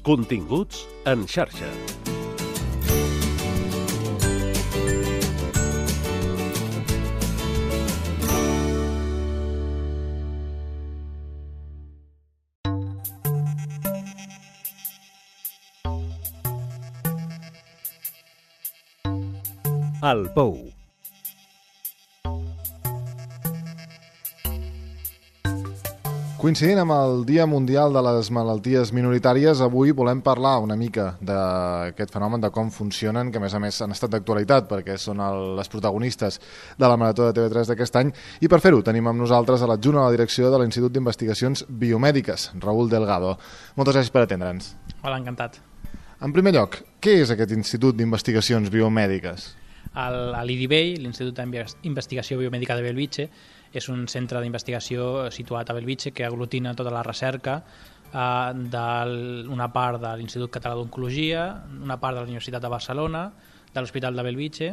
Continguts en xarxa. El Pou. Coincidint amb el Dia Mundial de les Malalties Minoritàries, avui volem parlar una mica d'aquest fenomen, de com funcionen, que a més han estat d'actualitat perquè són les protagonistes de la Marató de TV3 d'aquest any, i per fer-ho tenim amb nosaltres a l'adjunt a la direcció de l'Institut d'Investigacions Biomèdiques, Raül Delgado. Moltes gràcies per atendre'ns. Hola, encantat. En primer lloc, què és aquest Institut d'Investigacions Biomèdiques? L'IDBI, l'Institut d'Investigació Biomèdica de Bellvitge, és un centre d'investigació situat a Bellvitge que aglutina tota la recerca d'una part de l'Institut Català d'Oncologia, una part de la Universitat de Barcelona, de l'Hospital de Bellvitge,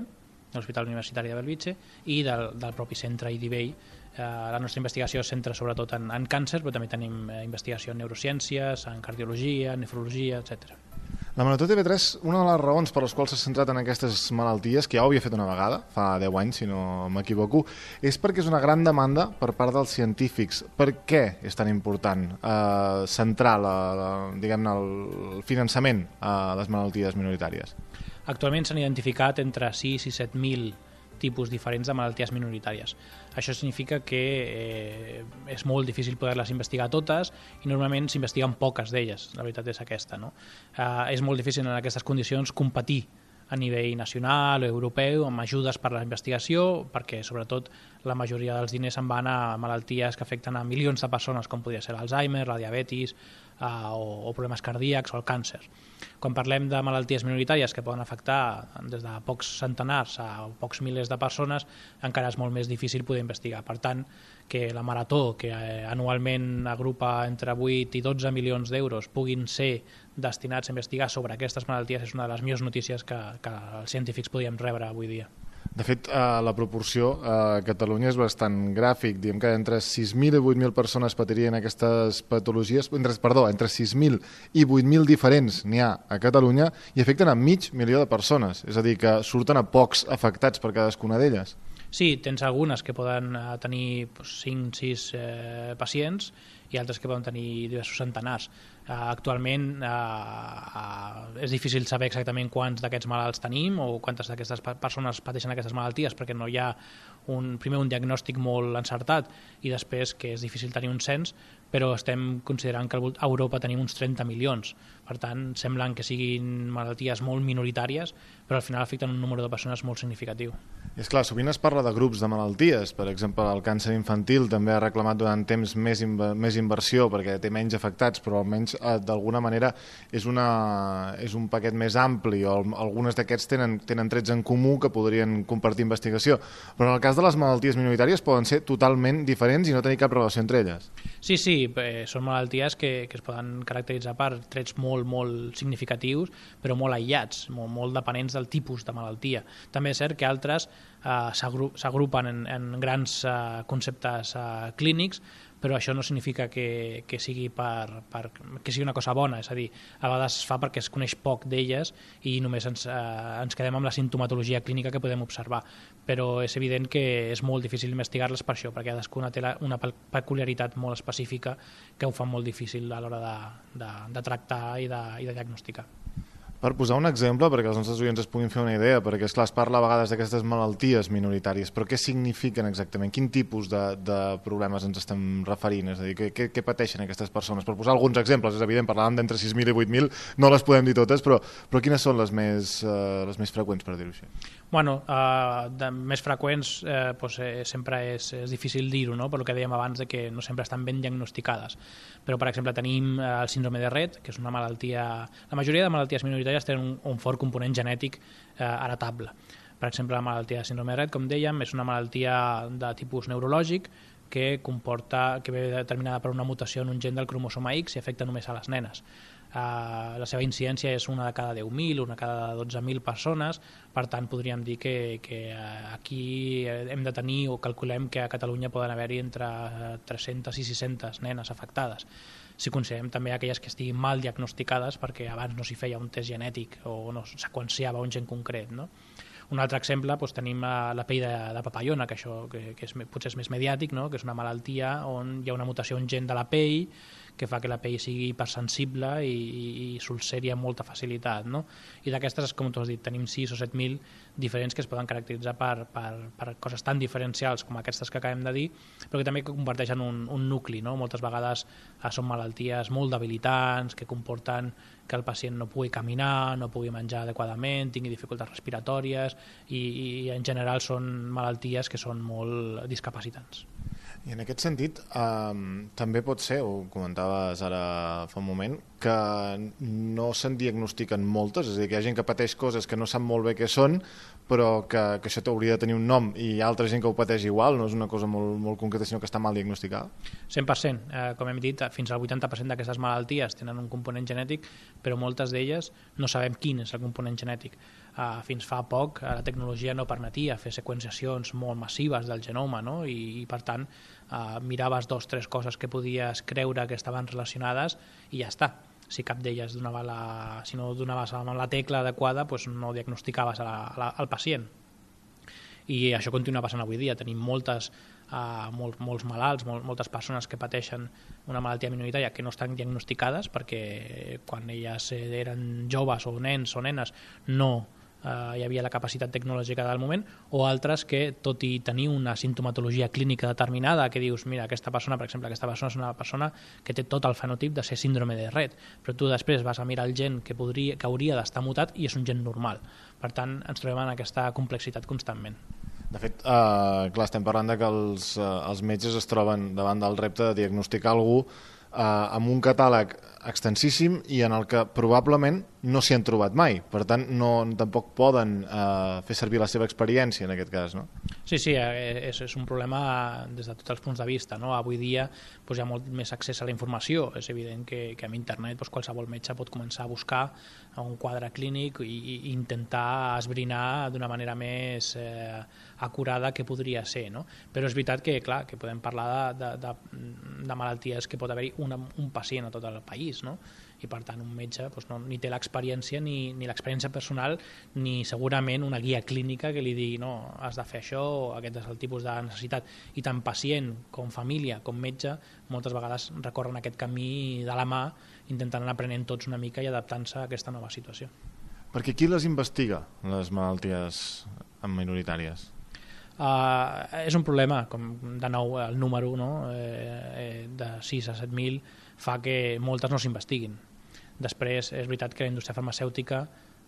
de l'Hospital Universitari de Bellvitge i del propi centre IDBI. La nostra investigació es centra sobretot en càncer, però també tenim investigació en neurociències, en cardiologia, nefrologia, etc. La Marató TV3, una de les raons per les quals s'ha centrat en aquestes malalties, que ja ho havia fet una vegada, fa 10 anys, si no m'equivoco, és perquè és una gran demanda per part dels científics. Per què és tan important centrar el finançament a les malalties minoritàries? Actualment s'han identificat entre 6 i 7.000 tipus diferents de malalties minoritàries. Això significa que és molt difícil poder-les investigar totes i normalment s'investiguen poques d'elles, la veritat és aquesta, no? És molt difícil en aquestes condicions competir a nivell nacional o europeu amb ajudes per a la investigació, perquè sobretot la majoria dels diners se'n van a malalties que afecten a milions de persones, com podria ser l'Alzheimer, la diabetis o problemes cardíacs o el càncer. Quan parlem de malalties minoritàries que poden afectar des de pocs centenars a pocs milers de persones, encara és molt més difícil poder investigar. Per tant, que la Marató, que anualment agrupa entre 8 i 12 milions d'euros, puguin ser destinats a investigar sobre aquestes malalties és una de les millors notícies que els científics podíem rebre avui dia. De fet, la proporció a Catalunya és bastant gràfic. Diem que entre 6.000 i 8.000 persones patirien aquestes patologies, entre 6.000 i 8.000 diferents n'hi ha a Catalunya i afecten a 500.000 de persones. És a dir, que surten a pocs afectats per cadascuna d'elles. Sí, tens algunes que poden tenir 5-6 pacients i altres que poden tenir diversos centenars. Actualment és difícil saber exactament quants d'aquests malalts tenim o quantes d'aquestes persones pateixen aquestes malalties perquè no hi ha primer un diagnòstic molt encertat i després que és difícil tenir un cens, però estem considerant que a Europa tenim uns 30 milions. Per tant, semblen que siguin malalties molt minoritàries, però al final afecten un número de persones molt significatiu. És clar, sovint es parla de grups de malalties. Per exemple, el càncer infantil també ha reclamat durant temps més inversió perquè té menys afectats, però almenys d'alguna manera és un paquet més ampli o algunes d'aquests tenen trets en comú que podrien compartir investigació. Però en el cas de les malalties minoritàries poden ser totalment diferents i no tenir cap relació entre elles. Sí, són malalties que es poden caracteritzar per trets molt significatius, però molt aïllats, molt dependents del tipus de malaltia. També és cert que altres s'agrupen en grans conceptes clínics, però això no significa que sigui una cosa bona, és a dir, a vegades es fa perquè es coneix poc d'elles i només ens quedem amb la simptomatologia clínica que podem observar, però és evident que és molt difícil investigar-les per això, perquè cadascuna té una peculiaritat molt específica que ho fa molt difícil a l'hora de tractar i de diagnosticar. Per posar un exemple, perquè els nostres oients es puguin fer una idea, perquè esclar, es parla a vegades d'aquestes malalties minoritàries, però què signifiquen exactament? Quin tipus de problemes ens estem referint? És a dir, què pateixen aquestes persones? Per posar alguns exemples, és evident, parlàvem d'entre 6.000 i 8.000, no les podem dir totes, però quines són les més freqüents, per dir-ho així? Bueno, de més freqüents sempre és difícil dir-ho, no? Per el que dèiem abans de que no sempre estan ben diagnosticades. Però, per exemple, tenim el síndrome de Rett, que és una malaltia... La majoria de malalties minoritàries tenen un fort component genètic heretable. Per exemple, la malaltia de síndrome de Rett, com dèiem, és una malaltia de tipus neurològic que ve determinada per una mutació en un gen del cromosoma X i afecta només a les nenes. La seva incidència és una de cada 10.000, una de cada 12.000 persones, per tant podríem dir que aquí hem de tenir, o calculem que a Catalunya poden haver-hi entre 300 i 600 nenes afectades. Si considerem també aquelles que estiguin mal diagnosticades perquè abans no s'hi feia un test genètic o no seqüenciava un gen concret, no? Un altre exemple, tenim la pell de papallona, que això que potser és més mediàtic, no? Que és una malaltia on hi ha una mutació en gen de la pell que fa que la pell sigui hipersensible i s'ulceri amb molta facilitat, no? I d'aquestes, com tu has dit, tenim 6 o 7.000 diferents que es poden caracteritzar per coses tan diferencials com aquestes que acabem de dir, però que també comparteixen un nucli, no? Moltes vegades són malalties molt debilitants, que comporten que el pacient no pugui caminar, no pugui menjar adequadament, tingui dificultats respiratòries i en general són malalties que són molt discapacitants. I en aquest sentit, també pot ser, ho comentaves ara fa un moment, que no se'n diagnostiquen moltes, és a dir, que hi ha gent que pateix coses que no sap molt bé què són, però que això hauria de tenir un nom, i hi ha altra gent que ho pateix igual, no és una cosa molt concreta, sinó que està mal diagnosticada? 100%. Com hem dit, fins al 80% d'aquestes malalties tenen un component genètic, però moltes d'elles no sabem quin és el component genètic. Fins fa poc la tecnologia no permetia fer seqüenciacions molt massives del genoma, no? I per tant miraves 2 o 3 coses que podies creure que estaven relacionades i ja està. Si cap d'elles si no donaves amb la tecla adequada, doncs no diagnosticaves al pacient. I això continua passant avui dia. Tenim molts malalts, moltes persones que pateixen una malaltia minoritària que no estan diagnosticades perquè quan elles eren joves o nens o nenes no hi havia la capacitat tecnològica del moment, o altres que, tot i tenir una sintomatologia clínica determinada, que dius, mira, aquesta persona, per exemple, és una persona que té tot el fenotip de ser síndrome de Rett, però tu després vas a mirar el gen que hauria d'estar mutat i és un gen normal. Per tant, ens trobem en aquesta complexitat constantment. De fet, clar, estem parlant de que els metges es troben davant del repte de diagnosticar algú amb un catàleg extensíssim i en el que probablement no s'hi han trobat mai. Per tant, tampoc poden fer servir la seva experiència en aquest cas, no? Sí, és un problema des de tots els punts de vista, no? Avui dia hi ha molt més accés a la informació. És evident que amb internet qualsevol metge pot començar a buscar un quadre clínic i intentar esbrinar d'una manera més acurada que podria ser, no? Però és veritat que, clar, que podem parlar de malalties que pot haver-hi un pacient a tot el país, no? I per tant un metge ni té l'experiència ni l'experiència personal ni segurament una guia clínica que li digui no, has de fer això, aquest és el tipus de necessitat, i tant pacient com família com metge moltes vegades recorren aquest camí de la mà intentant anar aprenent tots una mica i adaptant-se a aquesta nova situació. Perquè qui les investiga, les malalties minoritàries? És un problema, com de nou el número, no? De 6 a 7.000 fa que moltes no s'investiguin. Després és veritat que la indústria farmacèutica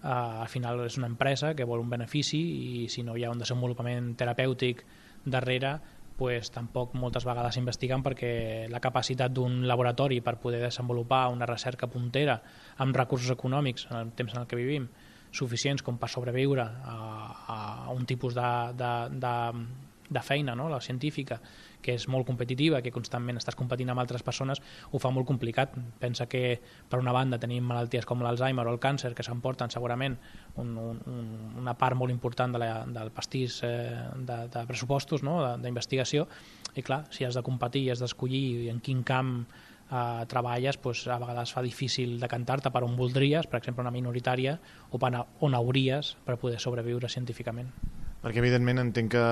al final és una empresa que vol un benefici i si no hi ha un desenvolupament terapèutic darrere, tampoc moltes vegades s'investiguen perquè la capacitat d'un laboratori per poder desenvolupar una recerca puntera amb recursos econòmics en el temps en el que vivim suficients com per sobreviure a un tipus de feina, no? La científica, que és molt competitiva, que constantment estàs competint amb altres persones, ho fa molt complicat. Pensa que, per una banda, tenim malalties com l'Alzheimer o el càncer, que s'emporten segurament una part molt important del pastís de pressupostos, no? D'investigació, i clar, si has de competir i has d'escollir en quin camp treballes, a vegades fa difícil decantar-te per on voldries, per exemple una minoritària, o per on hauries per poder sobreviure científicament. Perquè evidentment entenc que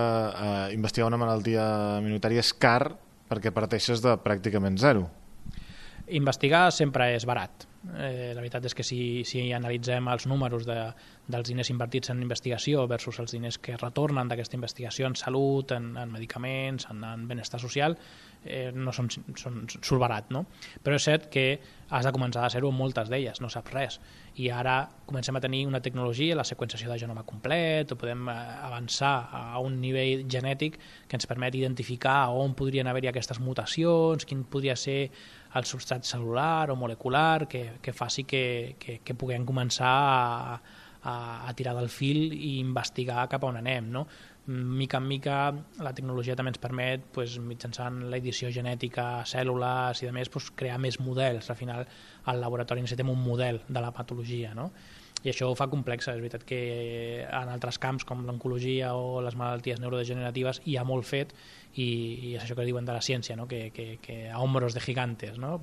investigar una malaltia minoritària és car perquè parteixes de pràcticament zero. Investigar sempre és barat. La veritat és que si analitzem els números dels diners invertits en investigació versus els diners que retornen d'aquesta investigació en salut, en medicaments, en benestar social, no surt barat, no? Però és cert que has de començar de zero en moltes d'elles, no saps res. I ara comencem a tenir una tecnologia, la seqüenciació de genoma complet, o podem avançar a un nivell genètic que ens permet identificar on podrien haver-hi aquestes mutacions, quin podria ser el substrat cel·lular o molecular que faci que puguem començar a tirar del fil i investigar cap on anem, no? mica en mica la tecnologia també ens permet, mitjançant l'edició genètica a cèl·lules i de més, crear més models. Al final al laboratori necessitem un model de la patologia, no? I això ho fa complexa. És veritat que en altres camps com l'oncologia o les malalties neurodegeneratives hi ha molt fet i és això que diuen de la ciència, no? que a hombros de gigantes, no?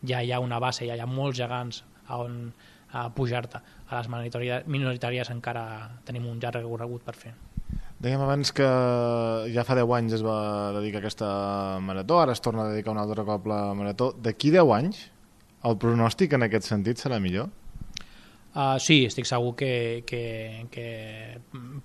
Ja hi ha una base, ja hi ha molts gegants on pujar-te. A les minoritàries encara tenim un llarg recorregut per fer. Dèiem abans que ja fa 10 anys es va dedicar a aquesta marató, ara es torna a dedicar un altre cop la marató. D'aquí 10 anys el pronòstic en aquest sentit serà millor? Sí, estic segur que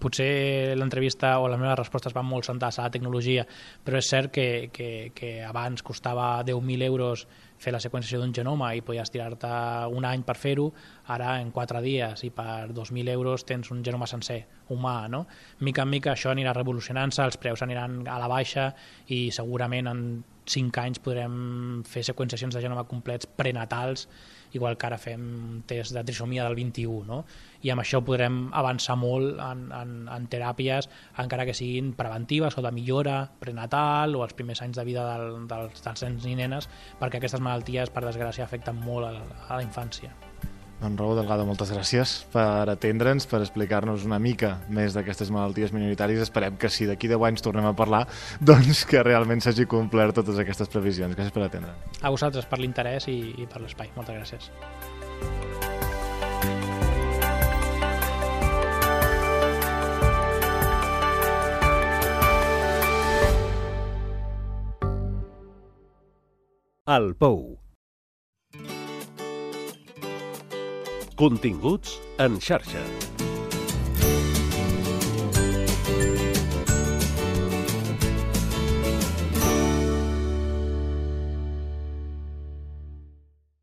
potser l'entrevista o les meves respostes van molt centrades a la tecnologia, però és cert que abans costava 10.000 euros fer la seqüenciació d'un genoma i podies tirar-te un any per fer-ho, ara en 4 dies i per 2.000 euros tens un genoma sencer humà, no? Mica en mica això anirà revolucionant-se, els preus aniran a la baixa i segurament en 5 anys podrem fer seqüenciacions de genoma complets prenatals, igual que ara fem test de trisomia del 21, no? I amb això podrem avançar molt en teràpies, encara que siguin preventives o de millora prenatal o els primers anys de vida dels nens i nenes, perquè aquestes malalties, per desgràcia, afecten molt a la infància. Doncs Raúl Delgado, moltes gràcies per atendre'ns, per explicar-nos una mica més d'aquestes malalties minoritàries. Esperem que si d'aquí 10 anys tornem a parlar, doncs que realment s'hagi complert totes aquestes previsions. Gràcies per atendre. A vosaltres per l'interès i per l'espai. Moltes gràcies. El Pou. Continguts en xarxa.